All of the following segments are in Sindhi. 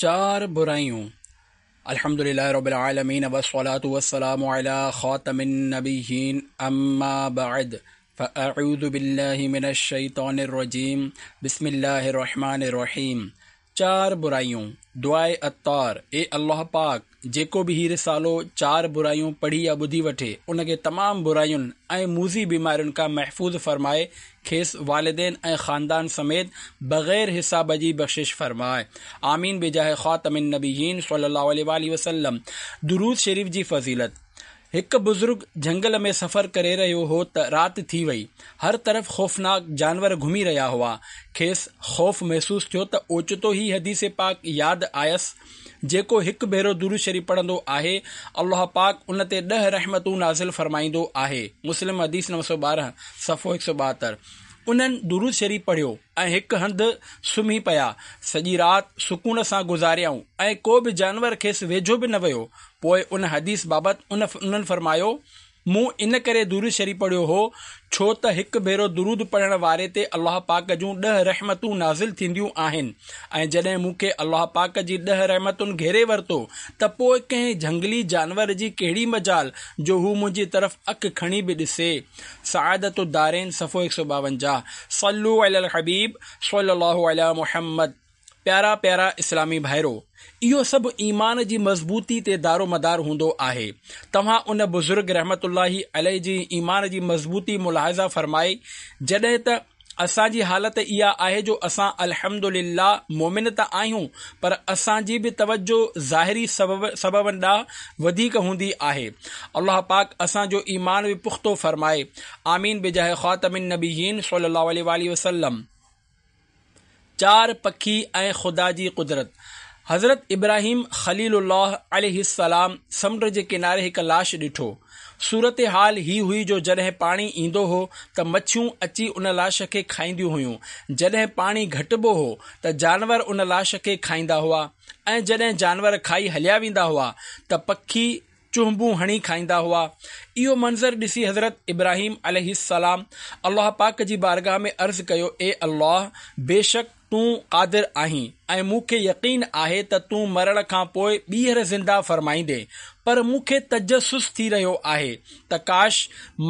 چار برايون، الحمد لله رب العالمين والصلاة والسلام علي خاتم النبيين اما بعد فاعوذ بالله من الشيطان الرجيم بسم الله الرحمن الرحيم چار برايون، دعاء عطار، اي الله پاڪ! جيڪو به هي رسالو چار برايون پڙهي يا ٻڌي وٺي، ان کي تمام براين ۽ موذي بيمارين کان محفوظ فرمائي، کيس والدين ۽ خاندان سميت بغير حساب جي بخشش فرماء. آمين بجاه خاتم النبيين صلي الله عليه واٰله وسلم. درود شريف جي فضيلت. هڪ بزرگ جهنگل ۾ سفر ڪري رهيو هو ته رات ٿي وئي. هر طرف خوفناڪ جانور گهمي رهيا هئا. کيس خوف محسوس ٿيو ته اوچتو هي حديث پاڪ ياد آيس، جيڪو هڪ ڀيرو درود شريف پڙهندو آهي، الله پاڪ ان تي ڏهه رحمتون نازل فرمائيندو آهي، مسلم حديث 912، صفحو 172. انهن درود شريف پڙهيو ۽ هڪ هنڌ سمهي پيا. سڄي رات سڪون سان گذاريائون ۽ ڪو به جانور کيس ويجهو به نه ويو. پوء ان حديث بابت انهن فرمايو، مون ان ڪري درود شريف پڙهيو هو ڇو ته هڪ ڀيرو درود پڙهڻ واري تي الله پاڪ جون ڏهه رحمتون نازل ٿينديون آهن ۽ جڏهن مون کي الله پاڪ جي ڏهه رحمتن گهيري ورتو ته پوء ڪنهن جهنگلي جانور جي ڪهڙي مجال جو هو منهنجي طرف اک کڻي به ڏسي. سعادت الدارين صفحو 152 صلو علی الحبيب صلي الله علي محمد. پيارا پيارا اسلامي ڀائرو! اهو سڀ ايمان جي مضبوطي تي دارومدار هوندو آهي. توهان ان بزرگ رحمة الله عليه جي ايمان جي مضبوطي ملاحظه فرمائي جڏهن ته اسان جي حالت اها آهي جو اسان الحمد لله مؤمن ته آهيون پر اسان جي به توجه ظاهري سببن ڏانهن وڌيڪ هوندي آهي. الله پاڪ اسان جو ايمان به پختو فرمائي. آمين بجاه خاتم النبيين صلي الله عليه واٰله وسلم. چار پکي ۽ خدا جي قدرت. حضرت ابراهيم خليل الله عليه السلام سمنڊ جي ڪناري هڪ لاش ڏٺو. صورتحال هي هئي جو جڏهن پاڻي ايندو هو ته مڇيون اچي ان لاش کي کائينديون هيون، جڏهن پاڻي گهٽبو هو ته جانور ان لاش کي کائيندا هئا ۽ جڏهن جانور کائي هليا ويندا هئا ته پکي چهنبون هڻي کائيندا هئا. اهو منظر ڏسي حضرت ابراهيم عليه السلام الله پاڪ جي بارگاھ ۾ عرض ڪيو، اي الله! بيشڪ تون قادر آهين ۽ مون کي يقين آهي ته تون مرڻ کان پوء ٻيهر زنده فرمائيندين، پر مون کي تجسس ٿي رهيو آهي ته ڪاش!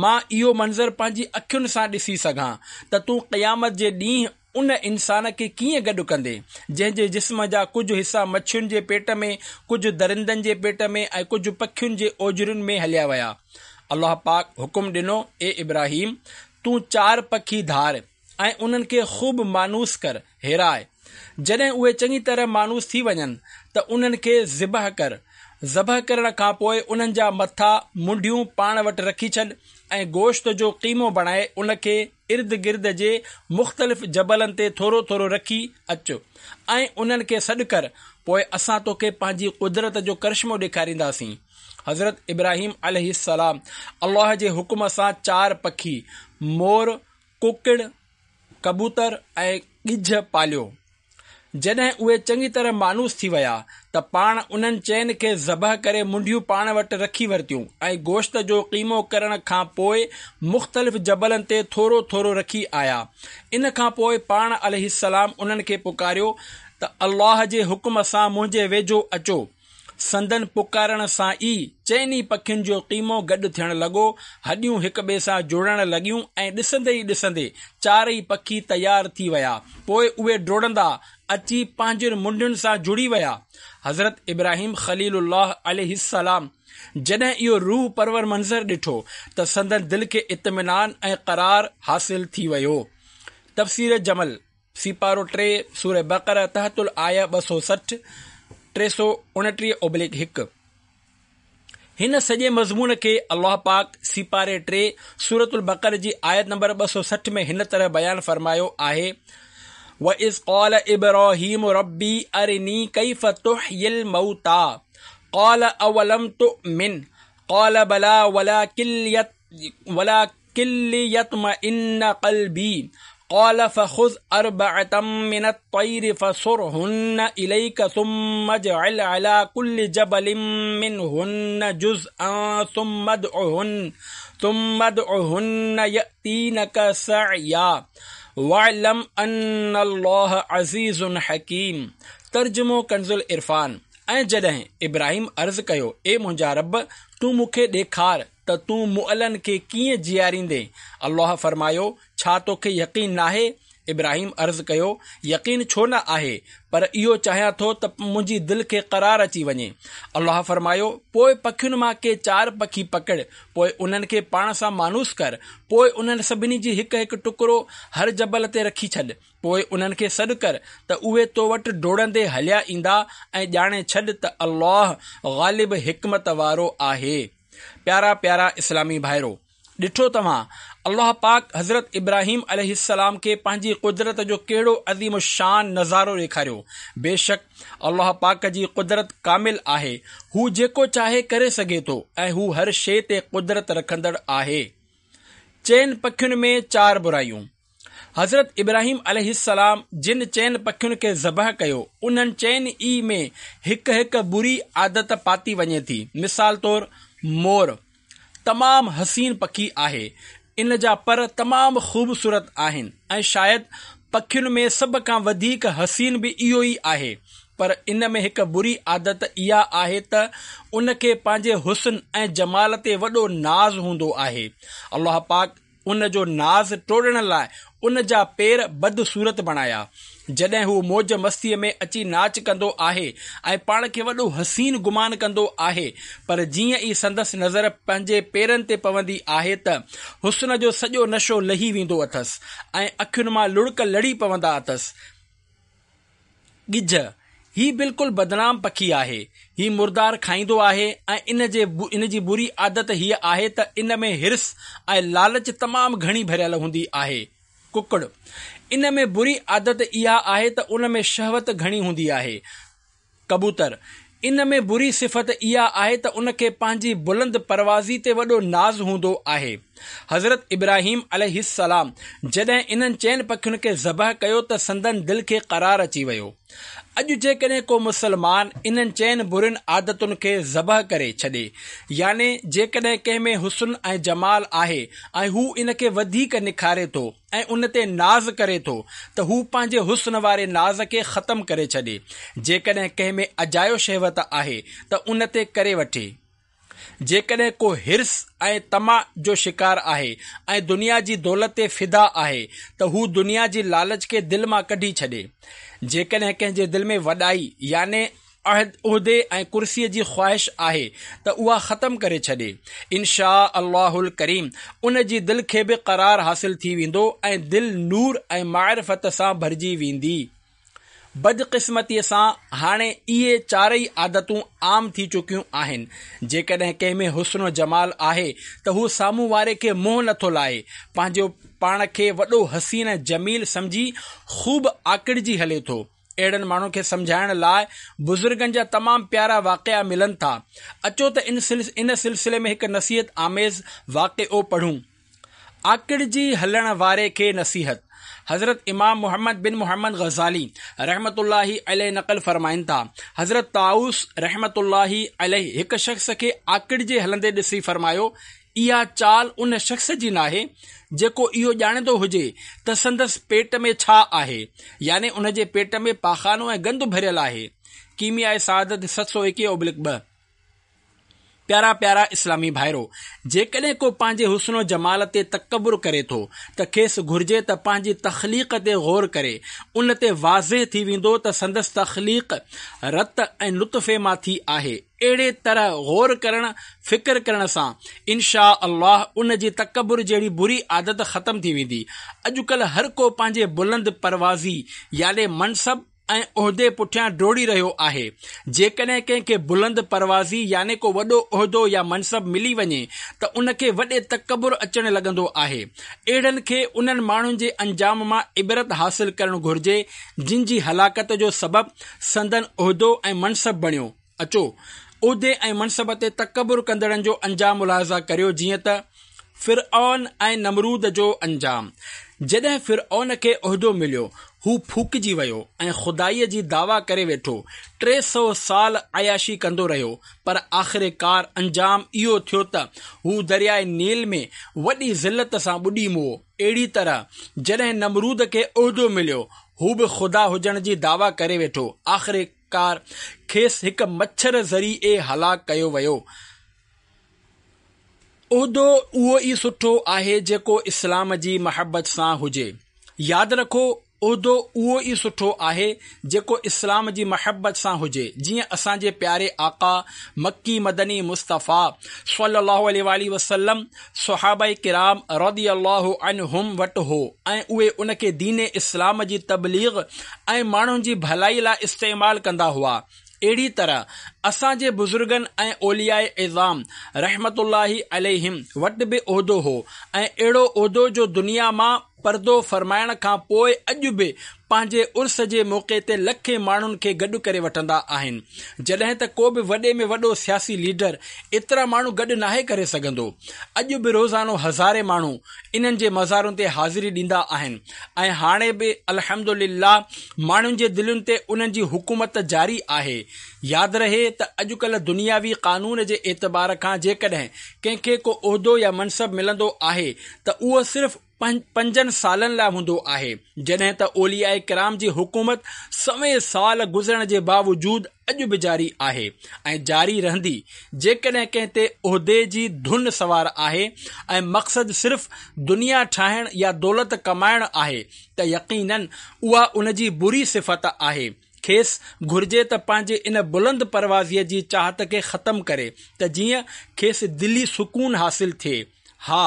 مان اهو منظر پنهنجي اکين سان ڏسي سگهان ته تون قيامت جي ڏينهن ان انسان کي ڪيئن گڏ ڪندين، جنهن جي جسم جا ڪجهه حصا مڇين جي پيٽ ۾، ڪجهه درندن جي پيٽ ۾ ۽ ڪجهه پکين جي اوجرين ۾ هليا ويا. الله پاڪ حڪم ڏنو، اي ابراهيم! تون چار پکي ڌار ۽ انهن کي خوب مانوس ڪر، هيراء. جڏهن اهي چڱي طرح مانوس ٿي وڃن ته انهن کي ذبح ڪر. ذبح ڪرڻ کان پوء انهن جا مٿا، منڍيون، پاڻ وٽ رکي ڇڏ ۽ گوشت جو قيمو بڻائي ان کي ارد گرد جي مختلف جبلن تي ٿورو ٿورو رکي اچ ۽ انهن کي سڏ ڪر، پوء اسان توکي پنهنجي قدرت جو ڪرشمو ڏيکارينداسين. حضرت ابراهيم عليه السلام الله جي حڪم سان چار پکي، مور، ڪڪڙ، ڪبوتر ۽ ڳجهه پاليو. جڏهن اهي چڱي طرح مانوس ٿي ويا ته پاڻ انهن چئن کي ذبح ڪري منڍيون پاڻ وٽ رکي ورتيون ۽ گوشت جو قيمو ڪرڻ کان پوء مختلف جبلن تي ٿورو ٿورو رکي آيا. ان کان پوء پاڻ عليه السلام انهن کي پڪاريو ته الله جي حڪم سان منهنجي ويجهو اچو. سندن پڪارڻ سان ئي چئني پکين جو قيمو گڏ ٿيڻ لڳو، هڏيون هڪٻئي سان جڙڻ لڳيون ۽ ڏسندي ئي ڏسندي چارئي پکي تيار ٿي ويا. پوء اهي ڊوڙندا اچي پنهنجين منڍين سان جڙي ويا. حضرت ابراهيم خليل الله عليه السلام جڏهن اهو روح پرور منظر ڏٺو ته سندن دل کي اطمينان ۽ قرار حاصل ٿي ويو. تفسير جمل. سيپارو 3، سوره بقره تحت الآيه 260، 329/1. هن سڄي مضمون کي الله پاڪ سيپاري 3، سورة البقره جي آيت نمبر 260 ۾ هن طرح بيان فرمايو آهي، وَإِذْ قَالَ إِبْرَاهِيمُ رَبِّ أَرِنِي كَيْفَ تُحْيِي الْمَوْتَىٰ قَالَ أَوَلَمْ تُؤْمِنْ قَالَ بَلَىٰ ولڪن ليطمئن قلبي قال فخذ اربعة من الطير فصرهن اليك ثم اجعل على كل جبل منهن جزءا ثم ادعهن ثم ادعهن يأتينك سعيا واعلم ان الله عزيز حڪيم. ترجمو ڪنزالعرفان، ۽ جڏهن ابراهيم عرض ڪيو، اي منهنجا رب! تون مون کي ڏيکار ته تون مئلن کي ڪيئن جياريندين؟ الله فرمايو، ڇا توکي يقين ناهي؟ ابراهيم عرض ڪيو، يقين ڇو نه آهي، پر اهو چاهيان ٿو ته منهنجي دل کي قرار اچي وڃي. الله فرمايو، پوء پکين مان ڪي چار پکي پڪڙ، پوء انهن کي پاڻ سان مانوس ڪر، پوء انهن سڀني جي هڪ هڪ ٽڪرو هر جبل تي رکي ڇڏ، پوء انهن کي سڏ ڪر ته اهي تو وٽ ڊوڙندي هليا ايندا ۽ ڄاڻي ڇڏ ته الله غالب حڪمت وارو آهي. پيارا پيارا اسلامي ڀائرو! ڏٺو توهان الله پاڪ حضرت ابراهيم عليه السلام کي پنهنجي قدرت جو ڪهڙو عظيم الشان نظارو ڏيکاريو. بيشڪ الله پاڪ جي قدرت ڪامل آهي، هو جيڪو چاهي ڪري سگهي ٿو ۽ هو هر شيء تي قدرت رکندڙ آهي. چئن پکين ۾ چار برايون. حضرت ابراهيم عليه السلام جن چئن پکين کي ذبح ڪيو، انهن چئن ئي ۾ هڪ هڪ بري عادت پاتي وڃي ٿي. مثال طور مور تمام حسين پکي آهي، ان جا پر تمام خوبصورت آهن ۽ شايد پکين ۾ سڀ کان وڌيڪ حسين به اهو ئي آهي، پر ان ۾ هڪ بري عادت اها آهي ته ان کي پنهنجي حسن ۽ جمال تي وڏو ناز هوندو آهي. الله پاڪ ان جو ناز ٽوڙڻ لاء ان جا پير بدصورت بڻايا. جڏهن هو موج مستيء ۾ اچي ناچ ڪندو آهي ۽ پاڻ کي وڏو حسين گمان ڪندو آهي، پر جيئن ئي سندس نظر پنهنجي پيرن تي پوندي آهي ته حسن جو سڄو نشو لهي ويندو اٿس ۽ اکين مان لڙڪ لڙي پوندا اٿس. ڳجهه، هي بلڪل بدنام پکي آهي. هي مردار کائيندو آهي ۽ ان جي ان جي بري عادت هيء آهي ته ان ۾ حرص ۽ لالچ تمام گهڻي ڀريل هوندي آهي. ڪڪڙ، ان ۾ بري عادت اها آهي ته ان ۾ شهوت گهڻي هوندي آهي. ڪبوتر، ان ۾ بري صفت اها آهي ته ان کي پنهنجي بلند پروازي تي وڏو ناز هوندو آهي. حضرت ابراهيم عليه السلام جڏهن انهن چئن پکين کي ذبح ڪيو ته سندن دل کي قرار اچي ويو. اڄ جيڪڏهن ڪو مسلمان انهن چئن برين عادتن کي ذبح ڪري ڇڏي يعني جيڪڏهن ڪنهن ۾ حسن ۽ جمال آهي ۽ هو ان کي وڌيڪ نکاري ٿو، ۽ ان تي ناز ڪري ٿو ته هو پنهنجي حسن واري ناز کي ختم ڪري ڇڏي. جيڪڏهن ڪنهن ۾ اجايو شهوت آهي ته ان تي ڪري وٺي. جيڪڏهن ڪو حرص ۽ طمع جو شڪار آهي ۽ دنيا جي دولت تي فدا آهي ته هو دنيا جي لالچ کي دل مان ڪڍي ڇڏي. جيڪڏهن ڪنهن جي دل ۾ وڏائي يعني عهدي ۽ ڪرسيء جي خواهش آهي ته اها ختم ڪري ڇڏي. ان شآء الله الڪريم ان جي دل کي به قرار حاصل ٿي ويندو ۽ دل نور ۽ معرفت سان ڀرجي ويندي. بدقسمتيء سان هاڻي اهي چارئي عادتون عام ٿي چڪيون آهن. جيڪڏهن ڪنهن ۾ حسن و جمال آهي ته هو سامهون واري کي منهن نٿو لائي، پنهنجو پاڻ کي وڏو حسين ۽ جميل سمجهي خوب آڪڙجي هلي ٿو. اهڙن ماڻهن کي سمجهائڻ لاء بزرگن جا تمام پيارا واقعا ملن ٿا. اچو ته ان سلسلي ۾ هڪ نصيحت آميز واقعو پڙهون. آڪڙجي هلڻ واري کي نصيحت. حضرت امام محمد بن محمد غزالي رحمة الله عليه نقل فرمائن ٿا، حضرت طاؤس رحمة الله عليه هڪ شخص کي آڪڙجي هلندي ڏسي فرمايو، اها چال ان شخص جي ناهي جيڪو اهو ڄاڻندو هجي ته سندس پيٽ ۾ ڇا آهي، يعني ان جي پيٽ ۾ پاخانو ۽ گند ڀريل آهي. ڪيمياء سعادت 721/2. پيارا پيارا اسلامي ڀائرو! جيڪڏهن ڪو پنهنجي حسن و جمال تي تڪبر ڪري ٿو ته کيس گهرجي ته پنهنجي تخليق تي غور ڪري، ان تي واضح ٿي ويندو ته سندس تخليق رت ۽ نطفي مان ٿي آهي، اهڙي طرح غور ڪرڻ، فڪر ڪرڻ سان ان شآء الله ان جي تڪبر جهڙي بري عادت ختم ٿي ويندي. اڄڪلهه هر ڪو پنهنجي بلند پروازي يعني منصب ۽ عهدي پٺيان ڊوڙي رهيو آهي. جيڪڏهن ڪنهن کي بلند پروازي يعني ڪو وڏو عهدو يا منصب ملي وڃي ته ان کي وڏي تڪبر اچڻ لڳندو آهي. اهڙن کي انهن ماڻهن جي انجام مان عبرت حاصل ڪرڻ گهرجي جن جي هلاڪت جو سبب سندن عهدو ۽ منصب بڻيو. اچو، عهدي ۽ منصب تي تڪبر ڪندڙن جو انجام ملاحظه ڪريو جيئن ته، فرعون ۽ نمرود جو انجام. جڏهن فرعون کي عهدو مليو، هو ڦوڪجي ويو ۽ خدائيء جي دعويٰ ڪري ويٺو. 300 سال عياشي ڪندو رهيو، پر آخرڪار انجام اهو ٿيو ته هو درياء نيل ۾ وڏي ذلت سان ٻڏي مئو. اهڙي طرح جڏهن نمرود کي عهدو مليو، هو به خدا هجڻ جي دعويٰ ڪري ويٺو. آخرڪار کيس هڪ مڇر ذريعي هلاڪ ڪيو ويو. عهدو اهو ئي سٺو آهي جيڪو اسلام جي محبت سان هجي. ياد رکو عهدو اهو ئي سٺو آهي جيڪو اسلام جي محبت سان هجي جيئن اسان جي پياري آقا مڪي مدني مصطفيٰ صلي الله عليه واٰله وسلم صحابه ڪرام رضي الله عنهم وٽ هو ۽ اهي ان کي دين اسلام جي تبليغ ۽ ماڻهن جي ڀلائي لاء استعمال ڪندا هئا. اهڙي طرح اسان جي بزرگن ۽ اولياء عظام رحمة الله عليهم وٽ به عهدو هو ۽ اهڙو عهدو جو دنيا مان پردو فرمائڻ کان پوء اڄ به پنهنجي عرس جي موقعي تي لکين ماڻهن کي گڏ ڪري وٺندا آهن جڏهن ته ڪو به وڏي ۾ وڏو سياسي ليڊر ايترا ماڻهو گڏ ناهي ڪري سگهندو. اڄ به روزانو هزارين ماڻهو انهن جي مزارن تي حاضري ڏيندا آهن ۽ هاڻي به الحمدلله ماڻهن جي دلين تي انهن جي حڪومت جاري آهي. ياد رهي ته اڄڪلهه دنياوي قانون جي اعتبار کان جيڪڏهن ڪنهن کي ڪو عهدو يا منصب ملندو آهي ته اهو صرف پنجن سالن لاء هوندو آهي، جڏهن ته اولياء ڪرام جي حڪومت سوين سال گذرڻ جي باوجود اڄ به جاري آهي ۽ جاري رهندي، جيڪڏهن ڪنهن تي عهدي جي ڌن سوار آهي ۽ مقصد صرف دنيا ٺاهڻ يا دولت ڪمائڻ آهي ته يقيناً اها ان جي بري صفت آهي، کيس گهرجي ته پنهنجي ان بلند پروازيء جي چاهت کي ختم ڪري ته جيئن کيس دلي سڪون حاصل ٿئي. ها!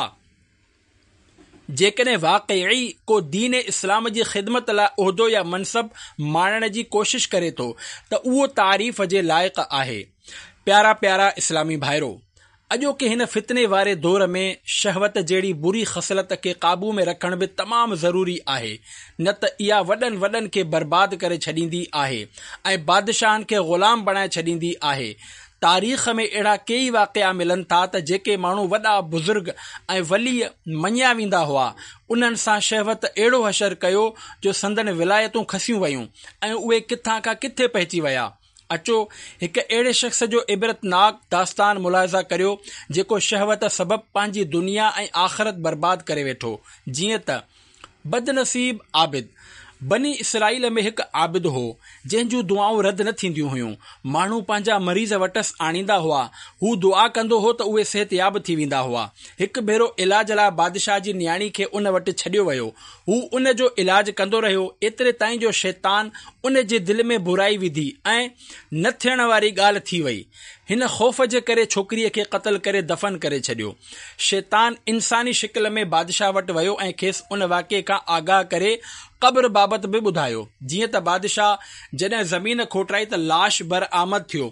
جيڪڏهن واقعي ڪو دين اسلام جي خدمت لاء عهدو يا منصب ماڻڻ جي ڪوشش ڪري ٿو ته اهو تعريف جي لائق آهي. پيارا پيارا اسلامي ڀائرو! اڄوڪي هن فتني واري دور ۾ شهوت جهڙي بري خصلت کي قابو ۾ رکڻ به تمام ضروري آهي نه ته اها وڏن وڏن کي برباد ڪري ڇڏيندي آهي ۽ بادشاهن کي غلام بڻائي ڇڏيندي آهي. تاريخ ۾ اهڙا ڪيئي واقعا ملن ٿا ته جيڪي ماڻهو وڏا بزرگ ۽ ولي مڃيا ويندا هئا، انهن سان شهوت اهڙو حشر ڪيو جو سندن ولايتون کسيون ويون ۽ اهي ڪٿان کان ڪٿي پهچي ويا. اچو هڪ اهڙي شخص جو عبرتناڪ داستان ملاحظه ڪريو جيڪو شهوت سبب پنهنجي دنيا ۽ آخرت برباد ڪري ويٺو. جيئن ته. بدنصيب عابد، بني اسرائيل ۾ هڪ عابد هو، جنهن جون دعائون رد نه ٿينديون هيون. ماڻهو پنهنجا مريض وٽس آڻيندا هئا. هو دعا ڪندو هو ته اهي صحتياب ٿي ويندا هئا. هڪ ڀيرو علاج لاء بادشاهه جي نياڻي کي ان وٽ ڇڏيو ويو. هو ان جو علاج ڪندو رهيو، ايتري تائين جو شيطان ان جي دل ۾ برائي وڌي ۽ نه ٿيڻ واري ڳالهه ٿي وئي. هن خوف جي ڪري ڇوڪريء کي قتل ڪري دفن ڪري ڇڏيو. شيطان انساني شڪل ۾ بادشاهه وٽ ويو ۽ کيس ان واقعي کان آگاهه ڪري قبر بابت به ٻڌايو. جيئن ته بادشاهه جڏهن زمين کوٽرائي ته لاش برآمد ٿيو.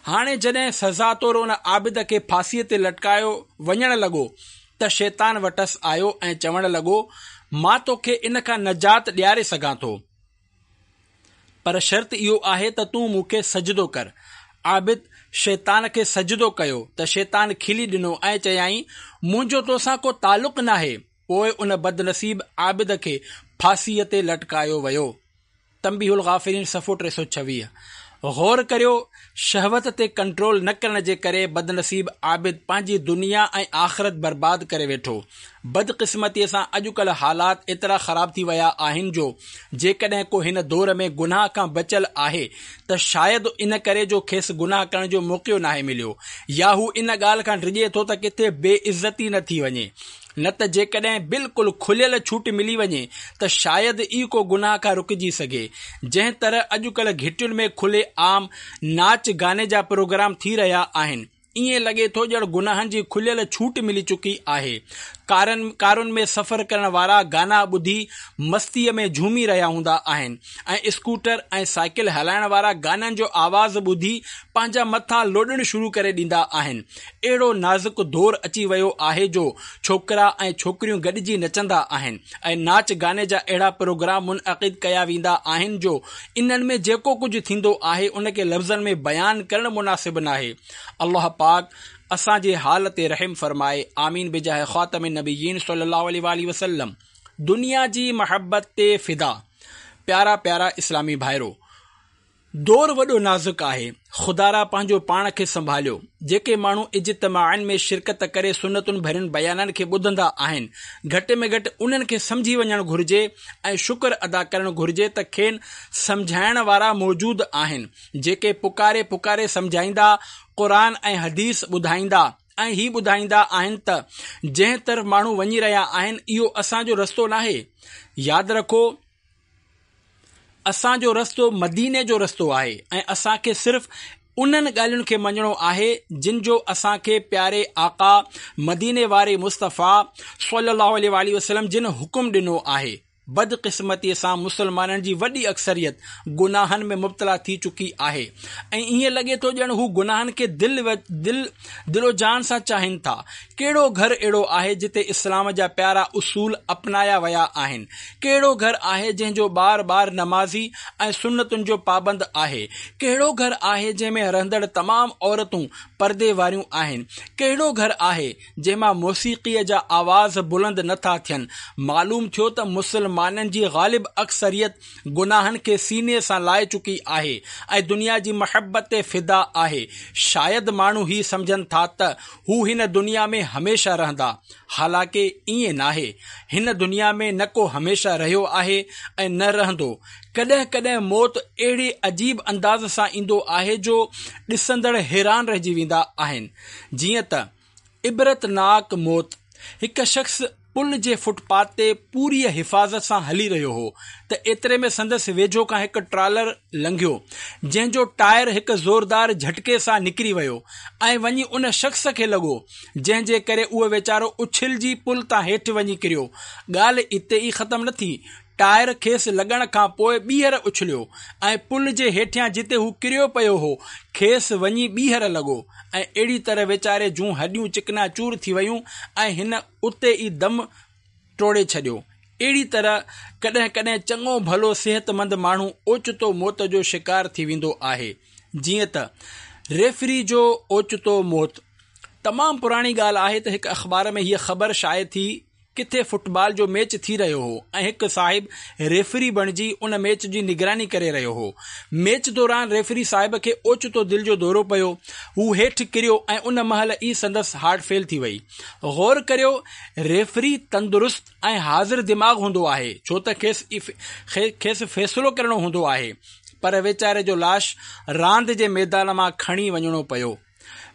هاڻي جڏهن سزا طور ان عابد کي ڦاسيء تي لٽڪايو وڃڻ لڳو ته شيطان وٽس آيو ۽ چوڻ لڳو، مان توکي ان کان نجات ڏياري سگهان ٿو. پر شرط اهو آهي ته تون مون کي سجدو ڪر. عابد شيطان کي سجدو ڪيو ته شيطان کلي ڏنو ۽ چيائين، منهنجو توسان ڪو تعلق ناهي. پوء ان بدنصيب عابد کي ڦاسيء تي لٽڪايو ويو. تنبيه الغافلين صفحو 326. غور ڪريو، شهوت تي ڪنٽرول نه ڪرڻ جي ڪري بدنصيب عابد پنهنجي دنيا ۽ آخرت برباد ڪري ويٺو. بدقسمتيء سان اڄڪلهه حالات ايترا خراب ٿي ويا آهن جو جيڪڏهن ڪو هن دور ۾ گناهه کان بچيل آهي ته شايد ان ڪري جو کيس گناهه ڪرڻ جو موقعو ناهي مليو يا هو ان ڳالهه کان ڊڄي ٿو ته ڪٿي بي عزتي نه ٿي وڃي نه ته جيڪڏهن بلڪل کليل ڇوٽ ملي وڃي ته شايد ئي ڪو گناهه کان رڪجي سگهي. جنهن طرح اڄڪلهه گهٽين ۾ کلي عام ناچ گاني جا پروگرام ٿي رهيا آهن، ائين لڳي ٿو ڄڻ گناهن جي کليل ڇوٽ ملي چڪي آهي. ڪارن ڪارن ۾ سفر ڪرڻ وارا گانا ٻڌي مستيء ۾ جهومي رهيا هوندا آهن ۽ اسڪوٽر ۽ سائيڪل هلائڻ وارا گانن جو آواز ٻڌي پنهنجا مٿا لوڏڻ شروع ڪري ڏيندا آهن. اهڙو نازڪ دور اچي ويو آهي جو ڇوڪرا ۽ ڇوڪريون گڏجي نچندا آهن ۽ ناچ گاني جا اهڙا پروگرام منعقد ڪيا ويندا آهن جو انهن ۾ جيڪو ڪجهه ٿيندو آهي ان کي لفظن ۾ بيان ڪرڻ مناسب ناهي. الله پاڪ اسان جي حال تي رحم فرمائي آمين بجاه خاتم النبيين صلي الله عليه واٰله وسلم دنيا جي محبت تي فدا پيارا پيارا اسلامي ڀائرو! دور وڏو نازڪ آهي، خدارا پنهنجو پاڻ کي سنڀاليو. جيڪي ماڻهو اجتماعن ۾ شرڪت ڪري سنتن ڀرين بيانن کي ٻڌندا آهن، گهٽ ۾ گهٽ انهن کي سمجهي وڃڻ گهرجي ۽ شڪر ادا ڪرڻ گهرجي ته کين سمجهائڻ وارا موجود آهن، جيڪي پڪاري پڪاري سمجهائيندا، قرآن ۽ حديث ٻڌائيندا ۽ هي ٻڌائيندا آهن ته جنهن طرف ماڻهو وڃي رهيا آهن، اهو اسان جو رستو ناهي. ياد رکو! اسان جو رستو مديني جو رستو آهي ۽ اسان کي صرف انهن ڳالهين کي مڃڻو آهي جن جو اسان کي پياري آقا مديني واري مصطفيٰ صلي الله عليه واٰله وسلم جن حڪم ڏنو آهي. بدقسمتيء سان مسلمانن جي وڏي اڪثريت گناهن ۾ مبتلا ٿي چڪي آهي ۽ ائين لڳي ٿو ڄڻ هو گناهن کي دل دل دل و جان سان چاهين ٿا. ڪهڙو گهر اهڙو آهي جتي اسلام جا پيارا اصول اپنايا ويا آهن؟ ڪهڙو گهر آهي جنهن جو ٻار ٻار نمازي ۽ سنتن جو پابند آهي؟ ڪهڙو گهر آهي جنهن ۾ رهندڙ تمام عورتون پردي واريون آهن؟ ڪهڙو گهر آهي جنهن مان موسيقيء جا آواز بلند نه ٿا ٿين؟ معلوم ٿيو ته مسلمانن جي غالب اڪثريت گناهن کي سيني سان لائي چڪي آهي ۽ دنيا جي محبت تي فدا آهي. شايد ماڻهو هي سمجهن ٿا ته هو هن دنيا ۾ هميشه رهندا. حالانڪه ائين ناهي. هن دنيا ۾ نه ڪو هميشه رهيو آهي ۽ نه رهندو. ڪڏهن ڪڏهن موت اهڙي عجيب انداز سان ايندو آهي جو ڏسندڙ حيران رهجي ويندا آهن. جيئن ته عبرتناڪ موت، هڪ شخص پل جي فٽ پاٿ تي پوريء حفاظت سان هلي رهيو هو ته ايتري ۾ سندس ويجهو کان هڪ ٽرالر لنگهيو، جنهن جو ٽائر هڪ زوردار جهٽڪي سان نڪري ويو ۽ وڃي ان شخص کي لڳو، جنهن جي ڪري اهو ويچارو اڇلجي پل تان هيٺ وڃي ڪريو. ڳالهه اتي ئي ختم نه ٿي، ٽائر کيس لڳڻ کان پوء ٻيهر اڇليو ۽ پل جي هيٺيان جتي هو ڪريو پيو هو، کيس وڃي ٻيهر لڳو ۽ اهڙي طرح ويچاري جون هڏيون چڪنا چور ٿي ويون ۽ هن اتي ئي دم ٽوڙي ڇڏيو. اهڙي طرح ڪڏهن ڪڏهن چڱو ڀلو صحتمند ماڻهو اوچتو موت جو شڪار ٿي ويندو آهي. جيئن ته ريفري جو اوچتو موت. تمام پراڻي ڳالهه آهي ته هڪ اخبار ۾ هيء خبر شايع ٿي ڪٿي فٽبال جو ميچ ٿي رهيو هو ۽ هڪ صاحب ريفري بڻجي ان ميچ جي نگراني ڪري رهيو هو. ميچ دوران ريفري صاحب کي اوچتو دل جو دورو پيو، هو هيٺ ڪريو ۽ ان مهل ئي سندس هارٽ فيل ٿي وئي. غور ڪريو ريفري تندرست ۽ حاضر دماغ هوندو آهي ڇو ته کيس کيس فيصلو ڪرڻو هوندو آهي پر ويچاري جو لاش راند جي ميدان مان کڻي وڃڻو پيو.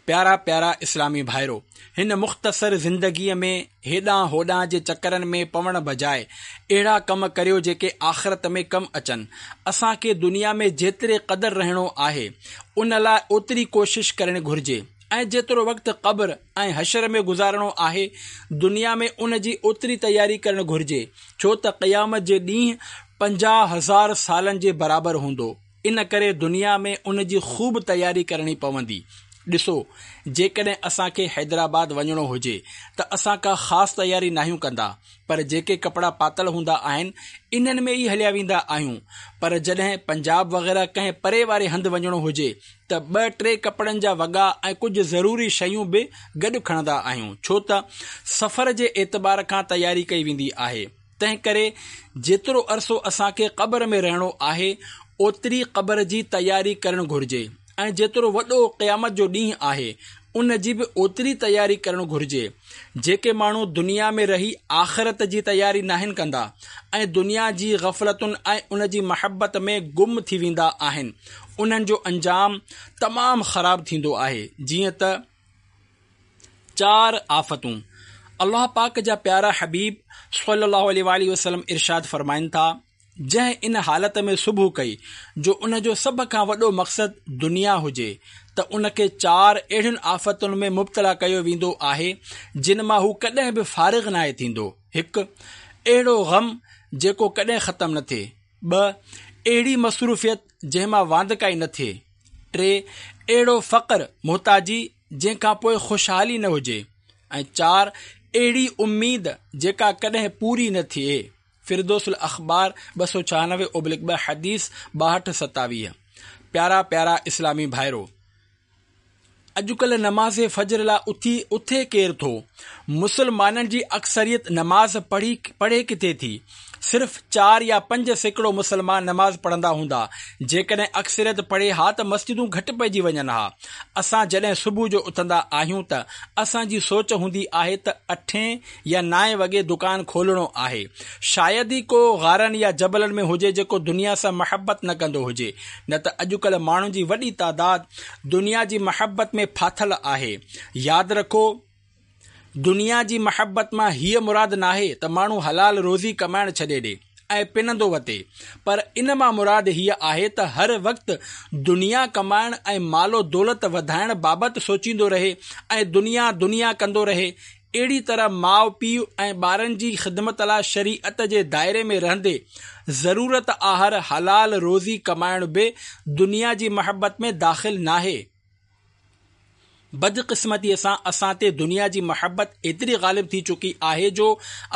پيارا پيارا اسلامي ڀائرو! هن مختصر زندگيء ۾ هيڏانهن هوڏانهن جي چڪرن ۾ پوڻ بجاء اهڙا ڪم ڪريو جيڪي آخرت ۾ ڪم اچن. اسان کي دنيا ۾ جيتري قدر رهڻو آهي، ان لاء اوتري ڪوشش ڪرڻ گهرجي ۽ جيترو وقت قبر ۽ حشر ۾ گذارڻو آهي، دنيا ۾ ان جي اوتري تياري ڪرڻ گهرجي، ڇو ته قيامت جي ڏينهن 50,000 سالن جي برابر هوندو. ان ڪري دنيا ۾ ان جي خوب تياري ڪرڻي پوندي. ڏسو، جيڪڏهن اسان کي حيدرآباد وڃڻو هجي ته اسان ڪا خاص تياري ناهيون ڪندا، پر جيڪي ڪپڙا پاتل هوندا آهن، انهن ۾ ئي هليا ويندا آهيون. پر جڏهن پنجاب وغيره ڪنهن پري واري هنڌ وڃڻو هجي ته ٻه ٽي ڪپڙن جا وڳا ۽ ڪجهه ضروري شيون به گڏ کڻندا آهيون، ڇو ته سفر جي اعتبار کان تياري ڪئي ويندي آهي. تنهن ڪري جيترو عرصو اسان کي قبر ۾ رهڻو آهي، اوتري قبر جي تياري ڪرڻ گهرجي ۽ جيترو وڏو قيامت جو ڏينهن آهي، ان جي به اوتري تياري ڪرڻ گهرجي. جيڪي ماڻهو دنيا ۾ رهي آخرت جي تياري ناهن ڪندا ۽ دنيا جي غفلتن ۽ ان جي محبت ۾ گم ٿي ويندا آهن، انهن جو انجام تمام خراب ٿيندو آهي، جيئن ته. چار آفتون، الله پاڪ جا پيارا حبيب صلّي الله عليه واٰله وسلّم ارشاد فرمائن ٿا، جنهن ان حالت ۾ صبح ڪئي جو ان جو سڀ کان وڏو مقصد دنيا هجي ته ان کي چار اهڙين آفتن ۾ مبتلا ڪيو ويندو آهي جن مان هو ڪڏهن به فارغ ناهي ٿيندو، هڪ. اهڙو غم جيڪو ڪڏهن ختم نه ٿئي. ٻه. اهڙي مصروفيت جنهن مان واندڪائي نه ٿئي. ٽي، اهڙو فقر، محتاجي، جنهن کان پوء خوشحالي نه هجي ۽ چار، اهڙي اميد جيڪا ڪڏهن پوري نه ٿئي. فردوس الاخبار 296/2 حديث 62 27. پيارا پيارا اسلامي ڀائرو! اڄڪلهه نماز فجر لاء اٿي اٿي ڪير ٿو؟ مسلمانن جي اڪثريت نماز پڙهي پڙهي ڪٿي ٿي؟ صرف چار يا 5% مسلمان نماز پڙهندا هوندا. جيڪڏهن اڪثريت پڙهي ها ته مسجدون گهٽ پئجي وڃن ها. اسان جڏهن صبح جو اٿندا آهيون ته اسان جي سوچ هوندي آهي ته اٺين يا نائين وڳي دڪان کولڻو آهي. شايد ئي ڪو غارن يا جبلن ۾ هجي جيڪو دنيا سان محبت نه ڪندو هجي. نه ته اڄڪلهه ماڻهن جي وڏي تعداد دنيا جي محبت ۾ ڦاٿل آهي. ياد رکو! دنيا جي محبت مان هيء مراد ناهي ته ماڻهو حلال روزي ڪمائڻ ڇڏي ڏي ۽ پنندو وتي، پر ان مان مراد هيء آهي ته هر وقت دنيا ڪمائڻ ۽ مال و دولت وڌائڻ بابت سوچيندو رهي ۽ دنيا دنيا ڪندو رهي. اهڙي طرح ماء پيء ۽ ٻارن جي خدمت لاء شريعت جي دائري ۾ رهندي ضرورت آهر حلال روزي ڪمائڻ به دنيا جي محبت ۾ داخل ناهي. بدقسمتيء سان اسان تي دنيا جي محبت ايتري غالب ٿي چڪي آهي جو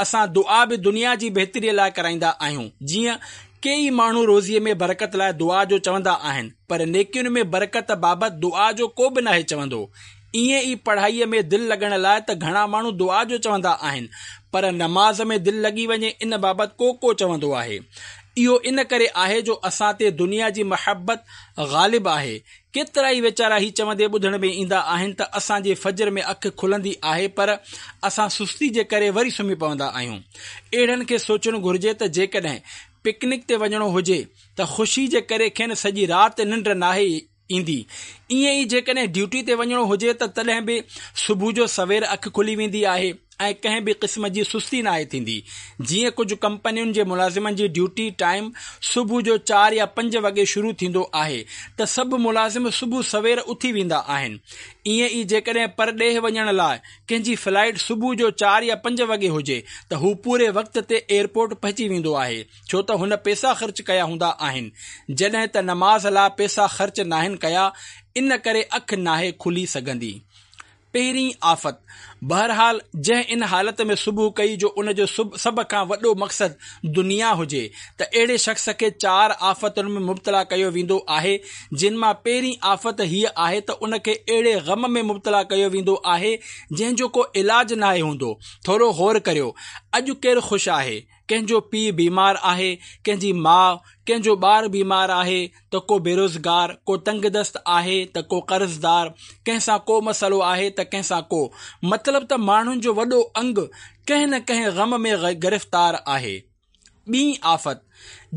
اسان دعا به دنيا جي بهتريء لاء ڪرائيندا آهيون. جيئن ڪيئي ماڻهو روزيء ۾ برڪت لاء دعا جو چوندا آهن پر نيڪين ۾ برڪت بابت دعا جو ڪو به ناهي چوندو. ائين ئي پڙهائيء ۾ دل لڳڻ لاء ته گهڻا ماڻهو دعا جو چوندا آهن پر نماز ۾ دل لڳي وڃي ان بابت ڪو ڪو چوندو آهي. اهو ان ڪري آهي جو اسان تي دنيا جي محبت غالب آهي. ڪيترائي ويچارا هي چوندي ٻڌڻ ۾ ايندا آهن ته اسان جي فجر ۾ اک کلندي آهي پر اسان سستي جي ڪري وري سمهي پوندا آهيون. اهڙن کي سوچڻ گهرجي ته جيڪڏهن پڪنڪ تي وڃڻو هجي ته خوشي جي ڪري کين سڄي رات ننڊ ناهي ايندي. ائين ئي جيڪڏهن ڊيوٽي تي وڃڻو هجي ته تڏهن به صبح جو سوير اک کلي ويندي آهي. ۽ ڪنهن به قسم جي سستي ناهي ٿيندي. جيئن ڪجهه ڪمپنين جي ملازمن جي ڊيوٽي ٽائيم صبح جو چار يا پنج وڳي شروع ٿيندو آهي ته سڀ ملازم صبح سوير اٿي ويندا آهن. ائين ئي جيڪڏهن پرڏيهه وڃڻ لاء ڪنهن جي فلائيٽ صبح جو چار يا پنج وڳي هجي ته هو پوري وقت تي ايئرپورٽ پهچي ويندو آهي ڇو ته هن پيسا خرچ ڪيا هوندا آهن. جڏهن ته نماز لاء پيسا خرچ ناهن ڪيا ان ڪري اک ناهي کلي سگهندي. پهرين آفت، بهرحال جنهن ان حالت ۾ صبح ڪئي جو ان جو سڀ کان وڏو مقصد دنيا هجي ته اهڙي شخص کي چار آفتن ۾ مبتلا ڪيو ويندو آهي جن مان پهرين آفت هيء آهي ته ان کي اهڙي غم ۾ مبتلا ڪيو ويندو آهي جنهن جو ڪو علاج ناهي هوندو. ٿورو غور ڪريو اڄ ڪير خوش آهي؟ ڪنهن جو پيء بيمار آهي، ڪنهن جي ماء، ڪنهن جو ٻار بيمار آهي ته ڪو بيروزگار، ڪو تنگدست آهي ته ڪو قرضدار، ڪنهن سان ڪو مسئلو آهي ته ڪنهن سان ڪو. مطلب ته ماڻهن جو وڏو انگ ڪنهن نه ڪنهن غم ۾ گرفتار آهي. ٻي آفت،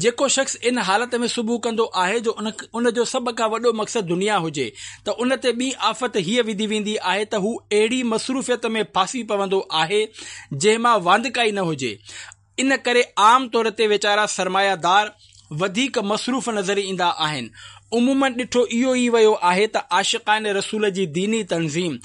جيڪو شخص ان حالت ۾ صبح ڪندو آهي جو ان جو سڀ کان وڏو مقصد دنيا هجي ته ان تي ٻي آفت هيء وڌي ويندي آهي ته هو اهڙي مصروفيت ۾ ڦاسي پوندو آهي جنهن مان واندڪائي نه هجي. ان ڪري عام طور تي ويچارا سرمايه دار وڌيڪ مصروف نظر ايندا آهن. عموماً ڏٺو اهو ئي ويو آهي ته عاشقان رسول جي ديني تنظيم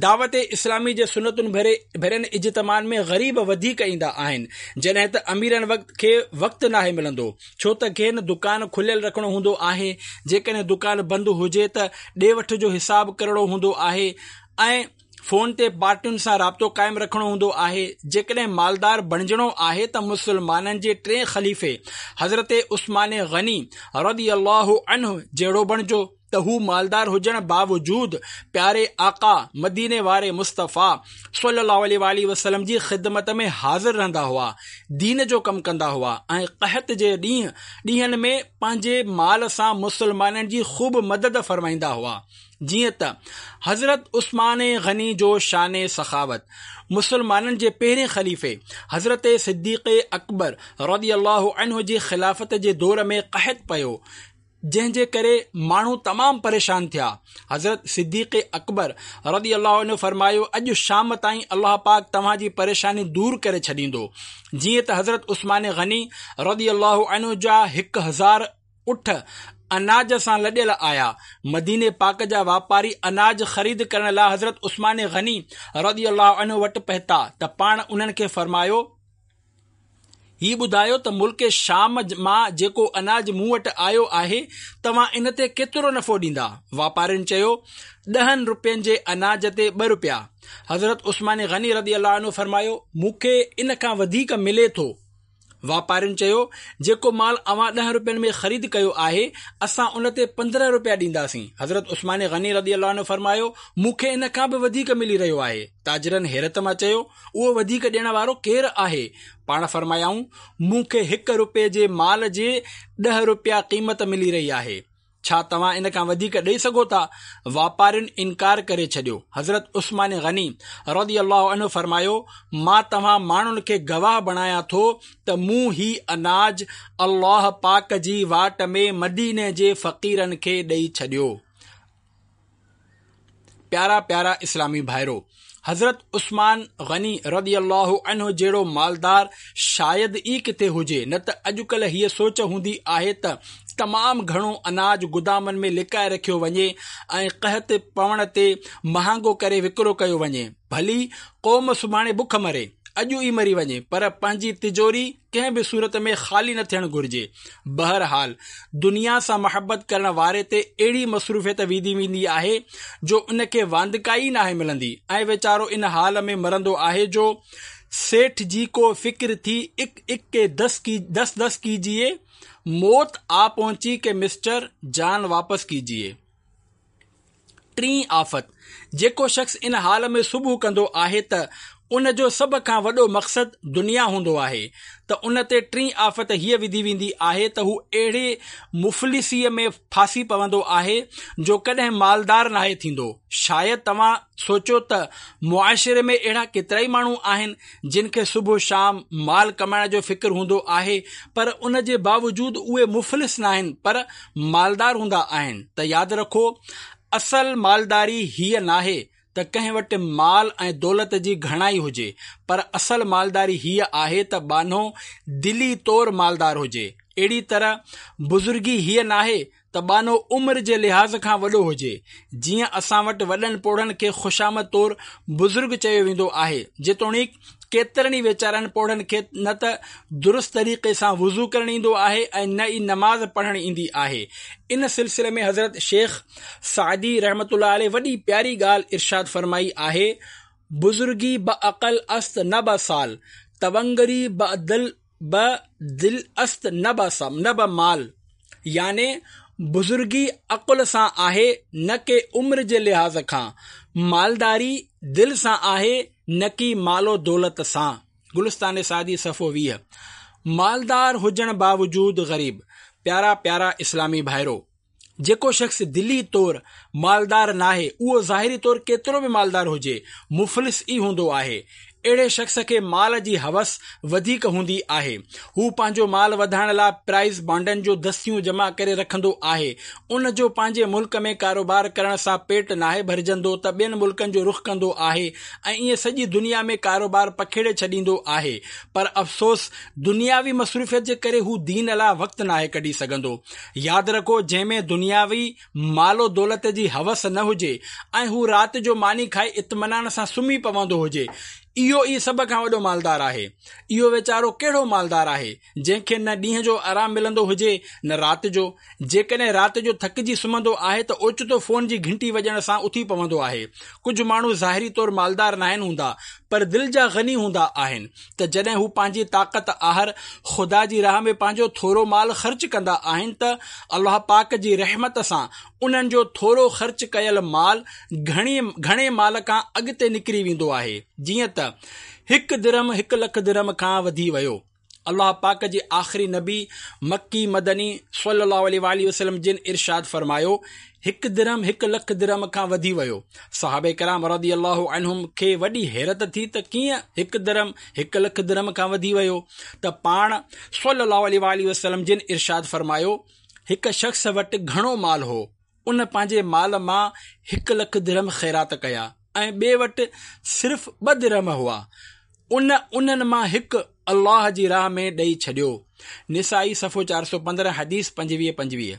دعوت اسلامي جي سنتن ڀرين اجتماعن ۾ غريب وڌيڪ ايندا آهن جڏهن ته اميرن کي وقت ناهي ملندو ڇو ته کين دڪان کليل رکڻو هوندو آهي جيڪڏهن دڪان بند هجي ته ڏي وٺ جو حساب ڪرڻو هوندو آهي ۽ فون تي پارٽين سان رابطو قائم رکڻو هوندو آهي. جيڪڏهن مالدار بڻجڻو آهي ته مسلمانن جي ٽئين خليفي حضرت عثمان غني رضي الله عنه جهڙو بڻجو ته هو مالدار هجڻ باوجود پياري آقا مديني واري مصطفيٰ صلي الله عليه واٰله وسلم جي خدمت ۾ حاضر رهندا هئا، دين جو ڪم ڪندا هئا ۽ قحط جي ڏينهن ۾ پنهنجي مال سان مسلمانن جي خوب مدد فرمائيندا هئا. جيئن ته حضرت عثمان غني جو شان سخاوت، مسلمانن جي پهرين خليفي حضرت صديق اڪبر رضي الله عنه جي خلافت جي دور ۾ قحط پيو، جنهن جي ڪري ماڻهو تمام پريشان ٿيا. حضرت صديق اڪبر رضي الله عنه فرمايو، اڄ شام تائين الله پاڪ توهان جي پريشاني دور ڪري ڇڏيندو. جيئن ته حضرت عثمان غني رضي الله عنه جا هڪ هزار اٺ اناج سان لڏيل آيا. مديني پاڪ جا واپاري اناج خريد ڪرڻ لاء حضرت عثمان غني رضي الله عنه وٽ پهتا ته پاڻ انهن کي فرمايو، هي ٻڌايو ته ملڪ شام مان جيڪو اناج مون وٽ آيو آهي، توهان ان تي ڪيترو نفعو ڏيندا؟ واپارين چيو، ڏهن روپين جي اناج تي ٻه روپيا. حضرت عثمان غني رضي الله عنه فرمايو، مون کي ان کان وڌيڪ ملي ٿو. واپارين چيو، جيڪو مال اوهان ڏهن روپين ۾ خريد ڪيو آهي، اسان ان تي 15 روپيا ڏينداسين. حضرت عثمان غني رضي الله عنه فرمايو، مون کي ان کان به وڌيڪ ملي رهيو آهي. تاجرن حيرت مان چيو، اهو وڌيڪ ڏيڻ وارو ڪير آهي؟ پاڻ فرمايائون، مون کي هڪ روپئي جي مال جي ڏهه روپيا قيمت ملي رهي آهي. ڇا توهان ان کان وڌيڪ ڏئي سگهو ٿا؟ واپارين انڪار ڪري ڇڏيو. حضرت عثمان غني رضي الله عنه فرمايو، مان توهان ماڻهن کي گواهه بڻايان ٿو ته مون هي اناج الله پاڪ جي واٽ ۾ مديني جي فقيرن کي ڏئي ڇڏيو. پيارا پيارا اسلامي ڀائرو! حضرت عثمان غني رضي الله عنه جهڙو مالدار شايد ئي ڪٿي هجي، نه ته اڄڪلهه هيء سوچ هوندي آهي ته تمام گهڻو اناج گدامن ۾ لڪائي رکيو وڃي ۽ قحط پوڻ تي مهانگو ڪري وڪرو ڪيو وڃي، ڀلي قوم سڀاڻي بک مري، اڄ ئي مري وڃي، پر پنهنجي تجوري ڪنهن به صورت ۾ خالي نه ٿيڻ گهرجي. بهرحال دنيا سان محبت ڪرڻ واري تي اهڙي مصروفيت وڌي ويندي آهي جو ان کي واندڪائي ئي ناهي ملندي ۽ ويچارو ان حال ۾ مرندو آهي جو سيٺ جي ڪو فڪر ٿي اڪ اڪ ڪي دس ڪي دس دس ڪيجيئي موت آ پهنچي ڪي مسٽر جان واپس ڪيجيئي. ٽين آفت، جيڪو شخص ان حال ۾ صبح ڪندو آهي ته ان جو سڀ کان وڏو مقصد دنيا هوندو آهي ته ان تي ٽين آفت هيء وڌي ويندي آهي ته هو اهڙي مفلسيء ۾ ڦاسي پوندو آهي جو ڪڏهن مالدار ناهي ٿيندو. شايد توهان سوچيو ته معاشري ۾ اهڙا ڪيترائي ماڻهو آهن جن کي صبح شام مال ڪمائڻ جو فڪر هوندو آهي پر ان جي باوجود اهي مفلس ناهن پر مالدار هوندا آهن ته ياد رکو اصل مالداري هيء ناهي ته ڪنهن وٽ مال ۽ دولت جي گهڻائي هجي پر اصل مالداري هيء آهي ته ٻانهو دلي طور مالدار هجي. اهڙي طرح بزرگي هيء ناهي ته ٻانهو عمر جي لحاظ کان وڏو هجي، جيئن اسان وٽ وڏن پوڙهن کي خوشامد طور بزرگ چيو ويندو آهي، جيتوڻيڪ ڪيترن ئي ويچارن پوڙهن کي نه ته درست طريقي سان وضو ڪرڻ ايندو آهي ۽ نه ئي نماز پڙهڻ ايندي آهي. ان سلسلي ۾ حضرت شيخ سعدي رحمة الله عليه وڏي پياري ڳالهه ارشاد فرمائي آهي، بزرگي بعقل است نه بسال، تونگري بعدل به دل است نه به نه به مال يعني بزرگي عقل سان آهي نه ڪي عمر جي لحاظ کان، مالداري دل سان آهي نه ڪي مال و دولت سان. گلستان سعدي صفحو 20. مالدار هجڻ باوجود غريب. پيارا پيارا اسلامي ڀائرو! جيڪو شخص دلي طور مالدار ناهي اهو ظاهري طور ڪيترو به مالدار هجي مفلس ئي هوندو آهي. اهڙي شخص کي مال جي هوس وڌيڪ هوندي آهي. هو پنهنجو مال وڌائڻ لاء پرائز بانڊن جو دستيون جمع ڪري رکندو آهي. ان جو پنهنجي ملڪ ۾ ڪاروبار ڪرڻ سان پيٽ ناهي ڀرجندو ته ٻين ملڪن جو رخ ڪندو آهي ۽ ائين سڄي دنيا ۾ ڪاروبار پکيڙي ڇڏيندو آهي پر افسوس دنياوي مصروفيت جي ڪري هو دين لاء وقت ناهي ڪڍي سگهندو. ياد رکو جنهن ۾ دنياوي مال و دولت جي هوس نه هجي ۽ هو رات جو ماني کائي اطمينان سان سمهي پوندو هجي اهو ئي سڀ کان وڏو مالدار آهي. اهو ويچارو ڪهڙو مالدار آهي جنهن کي نه ڏينهن جو آرام ملندو هجي نه رات جو. جيڪڏهن رات جو ٿڪجي سمهندو آهي ته اوچتو فون جي گهنٽي وڄڻ سان اٿي پوندو آهي. ڪجهه ماڻهو ظاهري طور مالدار ناهن هوندا پر دل جا غني هوندا آهن. ته جڏهن هو پنهنجي طاقت آهر خدا جي راهه ۾ پنهنجو ٿورو مال خرچ ڪندا آهن ته الله پاڪ جي رحمت سان انهن جو ٿورو خرچ ڪيل مال گهڻي گهڻي مال کان اڳتي نڪري ويندو آهي جيئن ته هڪ درهم هڪ لک درهم کان وڌي ويو. الله پاڪ جي آخري نبي مڪي مدني صلي الله عليه واٰله وسلم جن ارشاد فرمايو، هڪ درهم هڪ لک درهم کان وڌي ويو. صحابه ڪرام رضي الله عنهم کي وڏي حيرت ٿي ته ڪيئن هڪ درهم هڪ لک درهم کان وڌي ويو ته پاڻ صلي الله عليه واٰله وسلم جن ارشاد فرمايو، هڪ شخص وٽ گهڻو مال هو، ان پنهنجي مال مان هڪ لک درهم خيرات ڪيا ۽ ٻئي وٽ صرف ٻه درهم هئا، ان انهن مان هڪ الله جي راهه ۾ ڏئي ڇڏيو. نسائي صفحو 415 حديث 25 25.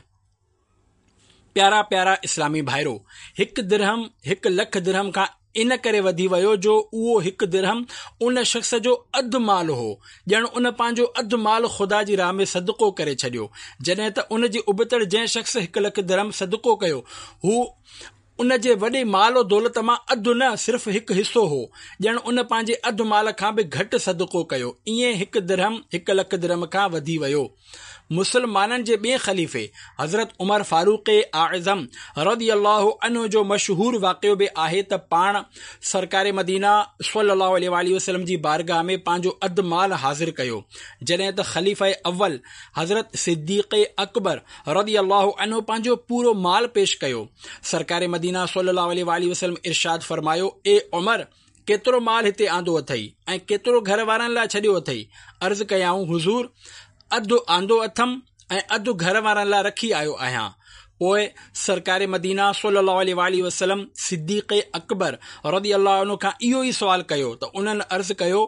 پيارا پيارا اسلامي ڀائرو! هڪ درهم هڪ لک درهم کان ان ڪري وڌي ويو جو اهو هڪ درهم ان شخص جو اڌ مال هو، ڄڻ ان پنهنجو اڌ مال خدا جي راهه ۾ صدقو ڪري ڇڏيو. جڏهن ته ان جي ابتڙ جنهن شخص هڪ لک درهم صدقو ڪيو هو ان جي وڏي مال و دولت مان اڌ نه صرف هڪ حصو هو، ڄڻ ان پنهنجي اڌ مال کان به گهٽ صدقو ڪيو، ائين هڪ درهم هڪ لک درهم کان وڌي ويو. مسلمانن جي ٻئين خليفي حضرت عمر فاروق اعظم رضي الله عنه جو مشهور واقعو به آهي ته پاڻ سرڪار مدينه صلي الله عليه واٰله وسلم جي بارگاهه ۾ پنهنجو اڌ مال حاضر ڪيو، جڏهن ته خليفه اول حضرت صديق اڪبر رضي الله عنه پنهنجو پورو مال پيش ڪيو. سرڪار مدينه صلي الله عليه واٰله وسلم ارشاد فرمايو، اي عمر! ڪيترو مال هتي آندو اٿئي ۽ ڪيترو گهر وارن لاء ڇڏيو اٿئي؟ عرض ڪيائون، حضور! اڌ آندو اٿم ۽ اڌ گهر وارن لاء رکي آيو آهيان. پوء سرڪار مدينه صلي الله عليه واٰله وسلم صديق اڪبر رضي الله عنه کان اهو ئي سوال ڪيو ته انهن عرض ڪيو،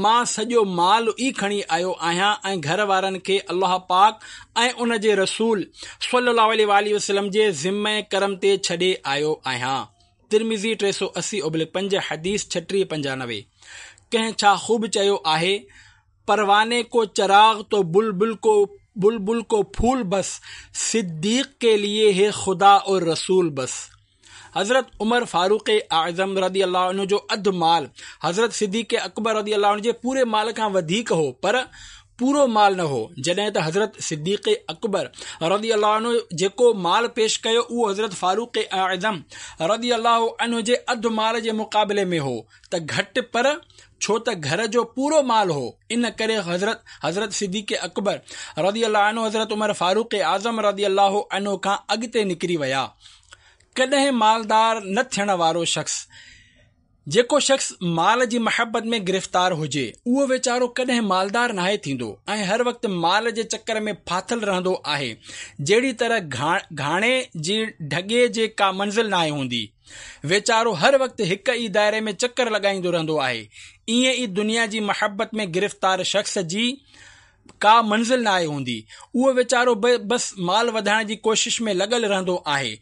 مان سڄو مال ئي کڻي آيو آهيان ۽ گهر وارن کي الله پاڪ ۽ ان جي رسول صلي الله عليه واٰله وسلم جي ذمه ڪرم تي ڇڏي آيو آهيان. ترمذي 380/5 حديث 3695. ڪنهن ڇا خوب چيو آهي، پرواني ڪو چراغ تو بلبل ڪو بلبل ڪو ڦول بس، صديق ڪي ليي هي خدا اور رسول بس. حضرت عمر فاروق اعظم رضي الله عنه جو اڌ مال حضرت صديق اڪبر رضي الله عنه جي پوري مال کان وڌيڪ هو پر پورو مال نه هو، جڏهن ته حضرت صديق اڪبر رضي الله عنه جيڪو مال پيش ڪيو اهو حضرت فاروق اعظم رضي الله عنه جي اڌ مال جي مقابلي ۾ هو ته گهٽ پر ڇو ته گهر جو پورو مال هو ان ڪري حضرت حضرت صديق اڪبر رضي الله عنه حضرت عمر فاروق اعظم رضي الله عنه کان اڳتي نڪري ويا. ڪڏهن مالدار نه ٿيڻ وارو شخص جيڪو شخص مال جي محبت ۾ گرفتار هجي اهو ويچارو ڪڏهن مالدار ناهي ٿيندو ۽ هر وقت مال جي چڪر ۾ ڦاٿل رهندو آهي جهڙي طرح گهاڻي جي ڍڳي جي ڪا منزل ناهي هوندي ويچارو هر وقت هڪ ئي دائري ۾ چڪر لڳائيندو رهندو آهي ائين ئي دنيا جي محبت ۾ گرفتار شخص جي ڪا منزل ناهي هوندي اهو ويچارو به بس مال وڌائڻ جي ڪوشش ۾ لڳل رهندو آهي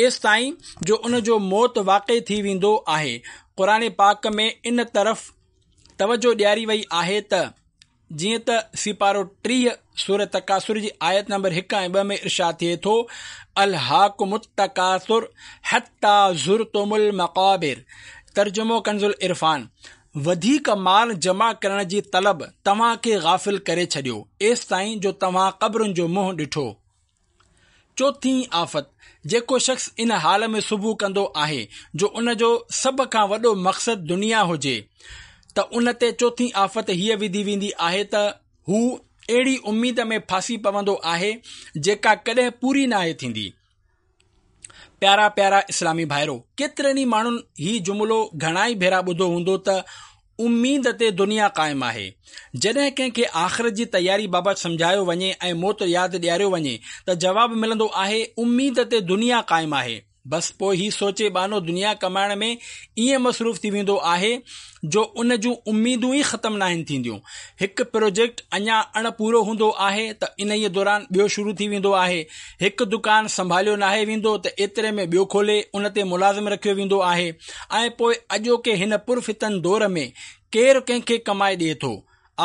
ايستائين جو ان جو موت واقع ٿي ويندو آهي قرآن پاڪ ۾ ان طرف توجه ڏياري وئي آهي ته جيئن ته سيپارو 30 سورة تڪاثر جي آيت نمبر 1 ۽ 2 ۾ ارشاد ٿئي ٿو الهاڪم التڪاثر حتي زرتم المقابر ترجمو ڪنز العرفان وڌيڪ مال جمع ڪرڻ جي طلب توهان کي غافل ڪري ڇڏيو، ايستائين جو توهان قبرن جو منهن ڏٺو. چوٿين آفت، جيڪو شخص ان حال ۾ صبح ڪندو آهي جو ان جو سڀ کان وڏو مقصد دنيا هجي ته ان تي چوٿين آفت هيء وڌي ويندي آهي ته هو اهڙي اميد ۾ ڦاسي پوندو آهي جيڪا ڪڏهن پوري ناهي ٿيندي. پيارا پيارا اسلامي ڀائرو! ڪيترن ئي ماڻهن هي جملو گهڻائي ڀيرا ٻڌو هوندو ته اميد تي دنيا قائم آهي. جڏهن ڪنهن کي آخرت جي تياري بابت سمجهايو وڃي ۽ موت ياد ڏياريو وڃي ته جواب ملندو آهي اميد تي دنيا قائم آهي. بس پوء هي سوچي ٻانهو دنيا ڪمائڻ ۾ ائين مصروف ٿي ويندو آهي جو ان جون اميدون ئي ختم ناهن ٿينديون. هڪ پروجيڪٽ اڃا اڻ پورو هوندو آهي ته انهيء دوران ٻيو شروع ٿي ويندو آهي. هڪ دڪان سنڀاليو ناهي ويندو ته ايتري ۾ ٻيو کولي ان تي ملازم رکيو ويندو آهي ۽ پوء اڄوڪي هن پرفتن دور ۾ ڪير ڪنهن کي ڪمائي ڏئي ٿو؟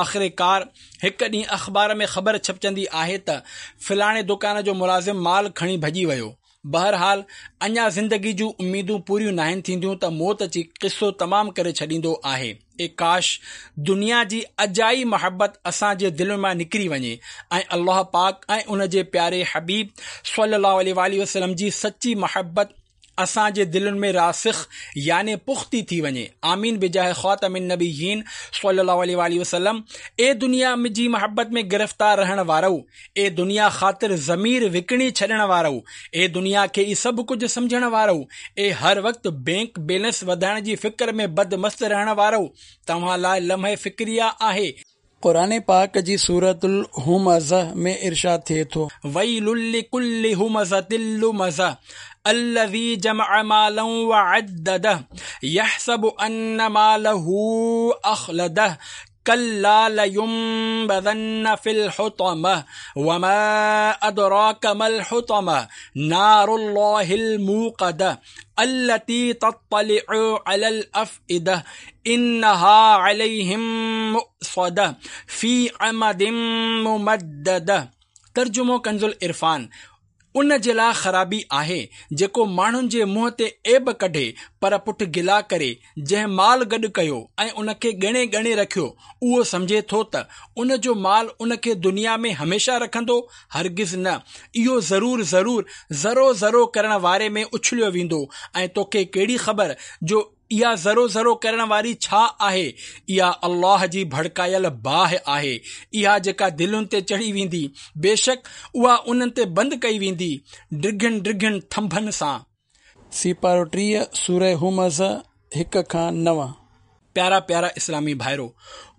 آخرڪار هڪ ڏينهن اخبار ۾ خبر ڇپجندي آهي ته فلاڻي دڪان جو ملازم مال کڻي ڀڄي ويو. بهرحال اڃا زندگي جون اميدون پوريون ناهن ٿينديون ته موت اچي قصو تمام ڪري ڇڏيندو آهي. اي ڪاش دنيا جي اجائي محبت اسان جي دلين مان نڪري وڃي ۽ الله پاڪ ۽ ان جي پياري حبيب صلي الله عليه واٰله وسلم جي سچي محبت اسان جي دلين ۾ راسخ يعني پختي ٿي وڃي آمين بجاه خاتم النبيين صلي الله عليه واٰله وسلم اي دنيا جي محبت ۾ گرفتار رهڻ وارؤ اي دنيا خاطر ضمير وڪڻي ڇڏڻ وارؤ، اي دنيا کي ئي سڀ ڪجهه سمجهڻ وارؤ، اي هر وقت بينڪ بيلنس وڌائڻ جي فڪر ۾ بد مست رهڻ وارؤ، توهان لاء لمحه فڪريه آهي. قرآن پاڪ جي سورة الهمزه ۾ ارشاد ٿئي ٿو. ويل لڪل همزة لمزة الذي جمع مالا وعدده يحسب ان ماله اخلده كلا لينبذن في الحطمة وما أدراك ما الحطمة نار الله الموقدة التي تطلع على الأفئدة إنها عليهم مؤصدة في عمد ممددة ترجمو ڪنز العرفان. ان جي لاء خرابي آهي، جيڪو ماڻهن جي منهن تي عيب ڪڍي، پر پٺ گلا ڪري، جنهن مال گڏ ڪيو ۽ ان کي ڳڻي ڳڻي رکيو، اهو سمجهي ٿو ته ان جو مال ان کي دنيا ۾ هميشه رکندو، هرگز نه، اهو ضرور ضرور ذرو ذرو ڪرڻ واري ۾ اڇليو ويندو ۽ توکي ڪهڙي خبر جو اها ذرو ذرو ڪرڻ واري ڇا آهي؟ اها الله جي ڀڙڪايل باهه آهي، اها جيڪا دلين تي چڙهي ويندي، بيشڪ اها انهن تي بند ڪئي ويندي، ڊگهن ڊگهن ٿنڀن سان. سيپارو 30، سوره همزه، 1 کان 9. پيارا پيارا اسلامي ڀائرو!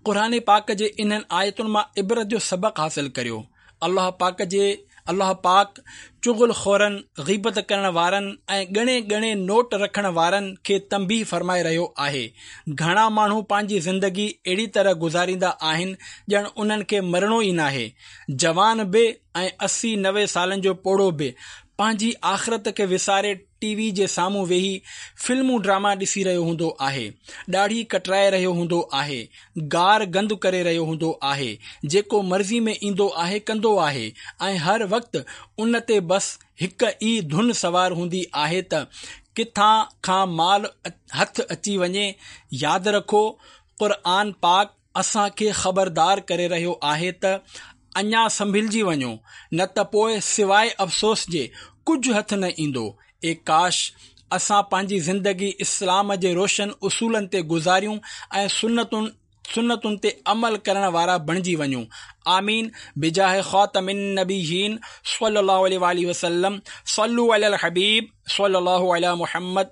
قرآن پاڪ جي انهن آيتن مان عبرت جو سبق حاصل ڪريو. الله پاڪ جي الله پاڪ چغل خورن، غيبت ڪرڻ وارن ۽ ڳڻي ڳڻي نوٽ رکڻ وارن کي تنبيهه فرمائي رهيو آهي. گهڻا ماڻهو پنهنجي زندگي اهڙي طرح گذاريندا آهن ڄڻ انهن کي مرڻو ئي ناهي. جوان به ۽ 80 90 سالن جو پوڙهو به پنهنجي آخرت کي وساري ٽي وي جي سامهون ويهي فلمون ڊراما ڏسي رهيو هوندو آهي، ڏاڙهي ڪٽرائي رهيو هوندو آهي، گار گند ڪري رهيو هوندو آهي، جيڪو مرضي ۾ ايندو آهي ڪندو آهي ۽ هر وقت ان تي بس هڪ ئي ڌن سوار هوندي آهي ته ڪٿان کان مال هٿ اچي وڃي. ياد رکو قرآن پاڪ اسان کي خبردار ڪري رهيو آهي ته اڃا سنڀلجي وڃو نه ته پوء سواء افسوس جي ڪجهه هٿ نه ايندو. اي ڪاش! اسان پنهنجي زندگي اسلام جي روشن اصولن تي گذاريون ۽ سنتن سنتن تي عمل ڪرڻ وارا بڻجي وڃون. آمين بجاه خاتم النبيين صلي الله عليه واله وسلم صلو علي الحبيب صلي الله علي محمد.